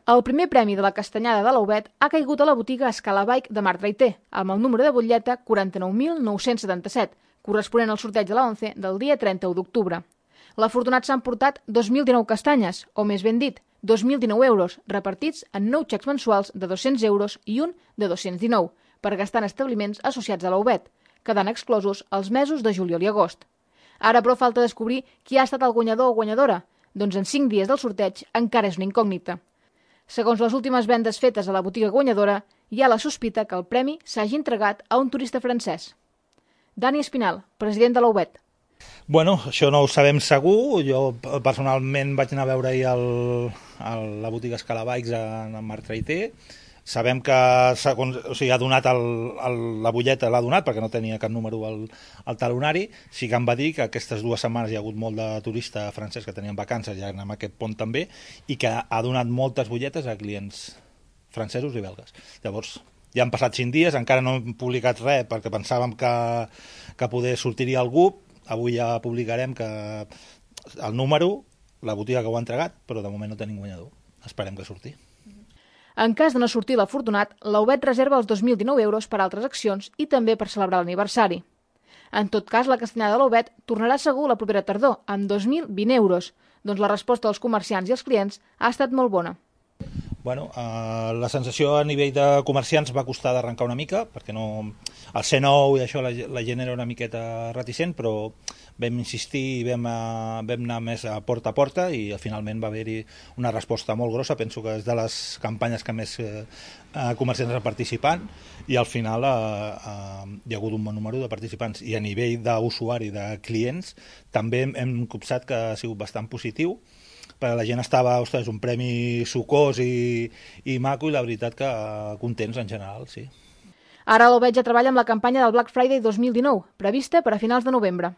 El primer premi de la castanyada de l'Aubet ha caigut a la botiga Scala Bike de Marc Traiter, amb el número de butlleta 49.977, corresponent al sorteig de la 11 del dia 31 d'octubre. L'afortunat s'ha emportat 2.019 castanyes, o més ben dit, 2.019 euros, repartits en 9 xecs mensuals de 200 euros i un de 219, per gastar en establiments associats a l'Aubet, quedant exclosos els mesos de juliol i agost. Ara, però, falta descobrir qui ha estat el guanyador o guanyadora, doncs en 5 dies del sorteig encara és una incògnita. Segons les últimes vendes fetes a la botiga guanyadora, hi ha la sospita que el premi s'hagi entregat a un turista francès. Dani Espinal, president de l'Aubet. Bueno, això no ho sabem segur. Jo personalment vaig anar a veure ahir la botiga Scala Bikes en Marc Traiter. Sabem que ha donat la butlleta, l'ha donat perquè no tenia cap número al talonari. Sí que em va dir que aquestes 2 setmanes hi ha hagut molt de turista francès que tenien vacances, ja en aquest pont també, i que ha donat moltes butlletes a clients francesos i belgues. Llavors, ja han passat 5 dies, encara no hem publicat res perquè pensàvem que poder sortiria algú. Avui ja publicarem que el número, la botiga que ho ha entregat, però de moment no tenim guanyador. Esperem que surti. En cas de no sortir l'afortunat, l'Aubet reserva els 2.019 euros per altres accions i també per celebrar l'aniversari. En tot cas, la castanyada de l'Aubet tornarà segur la propera tardor, amb 2.020 euros, doncs la resposta dels comerciants i els clients ha estat molt bona. Bueno, la sensació a nivell de comerciants va costar d'arrencar una mica, perquè no, el C9 i això la gent era una miqueta reticent, però vam insistir i vam anar més a porta i finalment va haver-hi una resposta molt grossa. Penso que és de les campanyes que més comerciants estan participant i al final hi ha hagut un bon número de participants. I a nivell d'usuari, de clients, també hem copsat que ha sigut bastant positiu, perquè la gent estava, ostres, un premi sucós i maco i la veritat que contents en general, sí. Ara l'Aubet ja treballa amb la campanya del Black Friday 2019, prevista per a finals de novembre.